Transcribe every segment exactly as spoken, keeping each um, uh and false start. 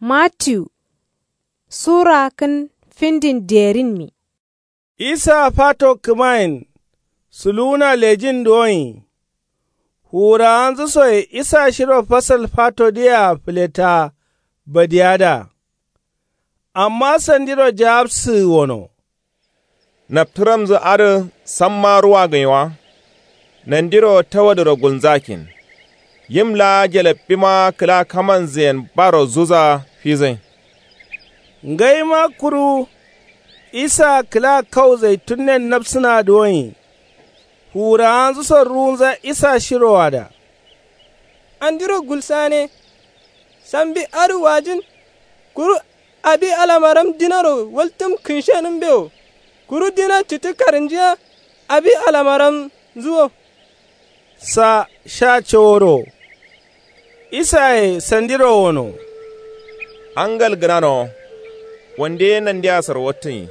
Mattiyu sura kǝn findin derinmi. Isa fato kǝmayen suluwuna lejin duwonyi. Fuwurawanzǝ soye isa shiro fasal fatodǝyea fǝleta badiyada. Amma sandiro jawabsǝgǝ wono. Naptǝramzǝ adǝ samma ruwa gǝnyi wa. Nandiro tawadǝro gulnzakin. Yim laa jalabbima kǝla kamanzǝyen baro zuza fizǝn. Ngaima kuru isa kǝla kau zaitunnen nabsǝna duwonyi. Fuwurawanzǝ so ruwunza isa shiroada. Andiro gulsane. Sambi adǝ wajin. Kuru abi alamaram dinaro waltǝm kǝnshenǝmbe wo. Kuru dina citǝ karǝnjiya abi alamaramnzǝ wo. Sa sha coworo. Isaye sandiro wono. Angal gǝnano. Wande ye nandeya sarwattǝnyi.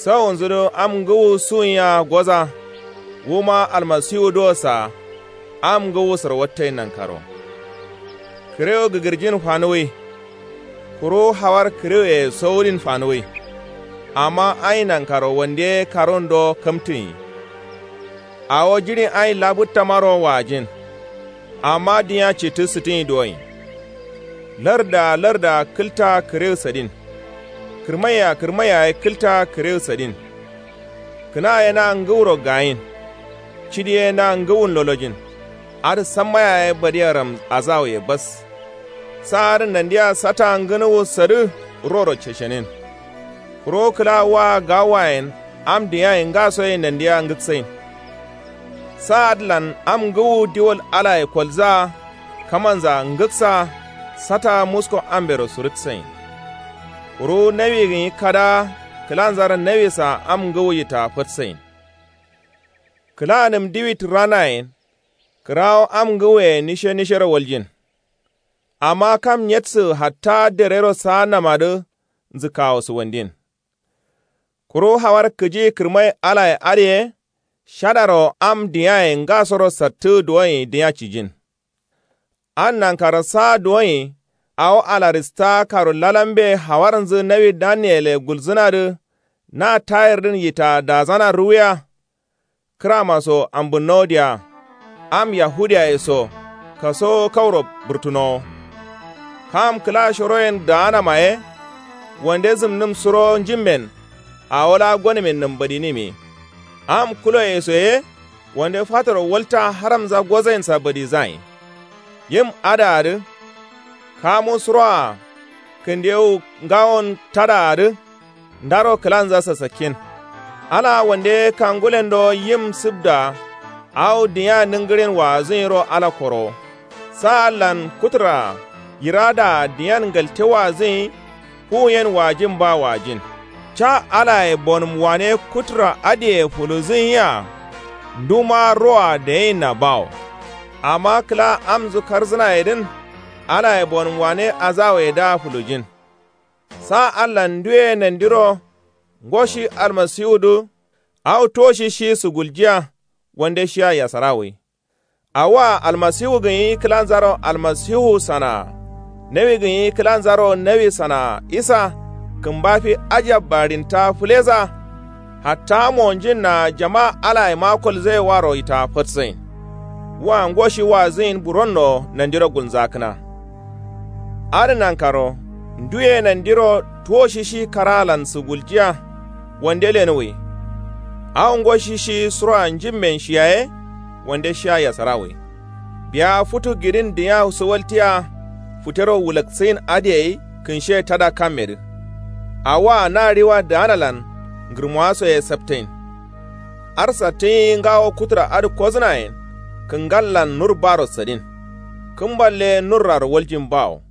Sawunzǝ dǝ am ngǝwu suwunya goza. Wuma almasiwu dǝ wo sa am ngǝwu sarwattǝnyi nankaro. Kǝrewu gǝgǝrjin fanuwǝi. Kuru hawar kǝrewuye sowudin fanuwǝi. Amma anyi nankaro wande ye karun do kamtǝnyi. Awo jiɍin anyi labǝttamaro wajin. Amma dinya cittǝ sǝtǝnyi duwonyi. Larda larda kǝlta kǝrewu sadin. Kǝrmaiya kǝrmaiya ye kǝlta kǝrewu sadin. Kǝna ye na ngǝwuro gayin. Cidi ye na ngǝwun lolojin. Adǝ sammaya ye badiyaram azawuye bas. Sa adǝ nandiya sata ngǝnuwu sadǝ roro ceshenin. Kuro kǝla waa gawayen am diyaye ngasoye nandiya ngǝksain. Sa adǝlan am ngǝwu diwol alaye kolzaa kamanza ngǝksa sata musko ambero surǝksain. Kuru nawi gǝnyi kadaa kǝlanzaro nawisa am ngǝwu yita fatsain. Kǝlanǝm diwi tǝranayen. Kǝrawo am ngǝwuye nishe nishero waljin. Amma kam nyedsǝgǝ hatta derero saannamadǝ nzǝkkawo sǝwandin. Kuru hawar kǝji kǝrmai alaye adǝ ye. Shadaro am diyaye ngasoro sattǝ duwonyi dinya cijin. An nankaro saa duwonyi. Awo alarista karu lalambe hawarnzǝ nawi daniyele gulzǝnadǝ. Na tayirdǝn yita dazana ruwiya. Kǝrama so ambǝnnowodiya. Am yahudiyaye so kasowo kauro bǝrtunowo. Kam kǝla shoroyen daanama ye. Wande zǝmnǝm suro njimmen. Awo laa gonǝmin nǝmbadinǝmi. Am kuloye so ye. Wande fatoro walta haramza gozainsa badizain. Yim adǝa dǝ. Kamu suroa kǝndewu ngawon tadǝa dǝ. Ndaro kǝlanza sasakkin. Ala wande kangulendo yim sǝbda. Awo dinya nǝngǝrin waazǝnyiro ala korowo. Saallan kutura yiradaa diyan ngalte waazǝnyi. Fuwuyen waajin ba waajin. Ca alaye bonǝm wane kutura adǝye fuluzǝnyia. Nduma roa dayinna bawo. Amma kǝla amnzǝ karzǝnayedǝn. Alaye bonǝm wane azawuyedǝa fulujin. Sa allan nduye nandiro ngo shi almasiwudǝ. Awo tuwo shi shi suguljiya. Wande shiya yasarawuyi. Awoa almasiwu gǝnyi kǝlanzaro almasiwu sanaa. Nawi gǝnyi kǝlanzaro nawi sanaa isa. Kǝmba fi ajab barinta fǝleza. Hatta monjinna jama alaye ma kolzaye waro yita fatsain. Wa ngo shi waazǝnyin buronno nandiro gulnzakǝna. Adǝ nankaro nduye nandiro tuwo shishi karaalan sǝguljiya. Wande lenuwwi. Awo ngo shishi suroa njimmen shiyaye. Wande shiya yasarawwi. Biya futu gidin dinya sǝwaltiya. Futero wulaksǝyin adǝyei kǝnshe tada kammedǝ. Awoa na riwa daanalan ngǝrmowa soye saptain. Arsattǝnyi ngawo kutura adǝ kozǝnayen. Kǝngallan nur baro sadin. Kǝmballe nurraro waljin bawo.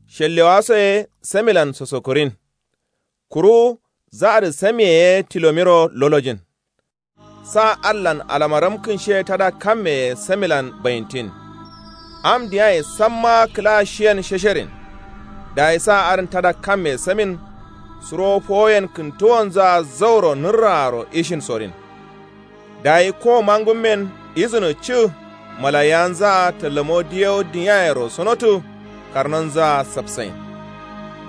Shellewaso ye samilan sosokurin. Kuru zaadǝ samiye ye tilomiro lolojin. Sa allan alamaram kǝnshe tada kamme ye samilan bayintin. Am diyaye samma kǝla shiyen shesherin. Dayi sa adǝn tada kamme samin. Suro fowoyen kǝntuwonzǝa zauro nǝrraaro ishin sorin. Dayi ko mangummen izǝno cǝ. Malayanzǝa tallamo diyewo dinyayero sonotǝ. Karnonzǝa sapsain.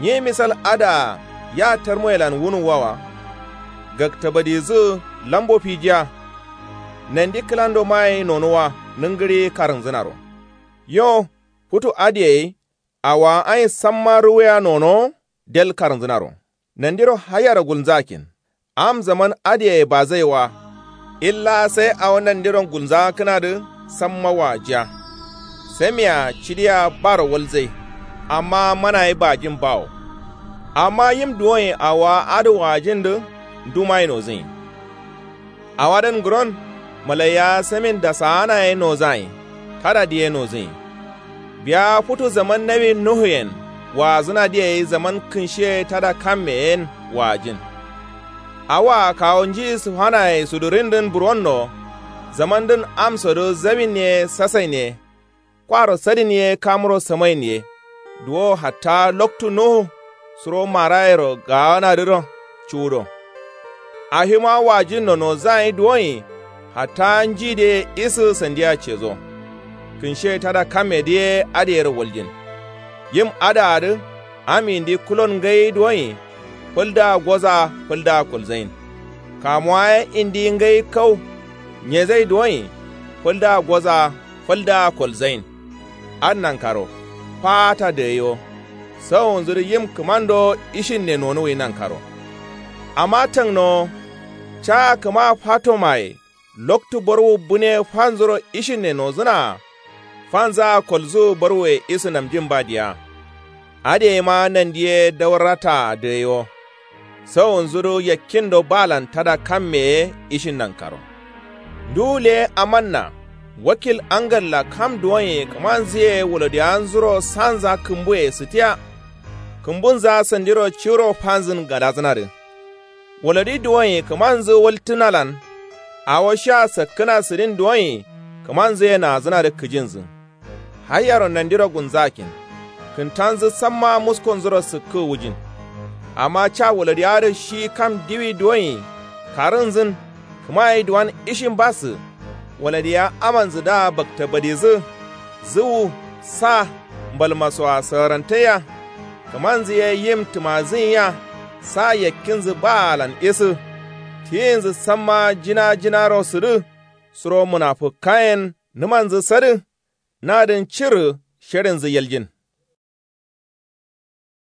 Nyi misal adǝa ya tarmoyelan wunuwwawa. Gaktabadizǝ lambo fijiya. Nandi kǝlandomaye nonuwa nǝngǝɍi karǝnzǝnaro. Yo futu adǝ yayi. Awowa ain samma ruwuya nonowo del karǝnzǝnaro. Nandiro haiyaro gulnzakkin. Am zaman adǝ yayi bazai wa. Illa sai awo nandiron gulnzakkǝnadǝ samma wajiya. Samia cidiya baro walzai. Amma manaye bajin bawo. Amma yim duwonye awowa adǝ wajindǝ ndumaye nozǝnyi. Awadǝn ngǝron malaiya samin dasaana ye nozayin. Tada diye nozǝnyi. Biya futu zaman nawi nuhuyen waazǝna diyeyi zaman kǝnshiye tada kamme yen waajin. Awoa kawo nji sǝfanaye sudurindǝn buronno. Zamandǝn amsodǝ zawin ye sasain ye. Kwaro sadin ye kamuro samain ye. Duwo hatta loktu nuhu suro marayero gaanadǝro cuwudo. Ahima wajinno nozayin duwonyi. Hatta njidǝye isǝ sandiya cezo. Kǝnshe tada kammedǝ ye adǝ yero waljin. Yim adǝa dǝ am indi kulon ngai duwonyi. Fǝlda goza fǝlda kolzain. Kamuwa ye indi ngai kau. Nyezai duwonyi. Fǝlda goza fǝlda kolzain. Adǝ nankaro. Faata dǝgai wo. Sawonzǝ dǝ yim kǝmando ishinne nonuwwi nankaro. Amma tangnowo. Caa kǝma fatomaye. Loktu borwu bune fanzuro ishinne nozǝnaa. Fanzaa kolzǝwu borwuye isǝ namjin ba diya. Adǝ yayi ma nandi ye daurata dǝgai wo. Sawonzǝ dǝ yakkindo baalan tada kamme ye ishin nankaro. Nduwu le amanna. Wakil angalla kam duwonye kǝmanzǝ ye walodiyanzuro sanza kǝmbuye sǝtiya. Kǝmbunza sandiro ciwuro fanzǝn gadazǝnadǝ. Walodi duwonye kǝmanzǝ waltǝnalan. Awo sha sakkǝna sǝdin duwonye kǝmanzǝ ye nazǝnadǝ kǝjinzǝ. Haiyaro nandiro gunzakkin. Kǝntanzǝ samma muskonzuro sǝkkǝ wujin. Amma ca walodiya dǝ shi kam diwi duwonye karǝnzǝn. Kǝma ye duwan ishin basǝ. Waladiya amanzǝ da bakta badizǝ. Zǝwu sa mbalmasoa sǝrantaiya. Kǝmanzǝ ye yim tǝmazǝnyiya. Sa yakkinzǝ baalan isǝ. Tiyinzǝ samma jina jinaro sǝdǝ. Suro mǝnafǝkkayen nǝmanzǝ sadǝ. Nadǝn cirǝ. Sherinzǝ yaljin.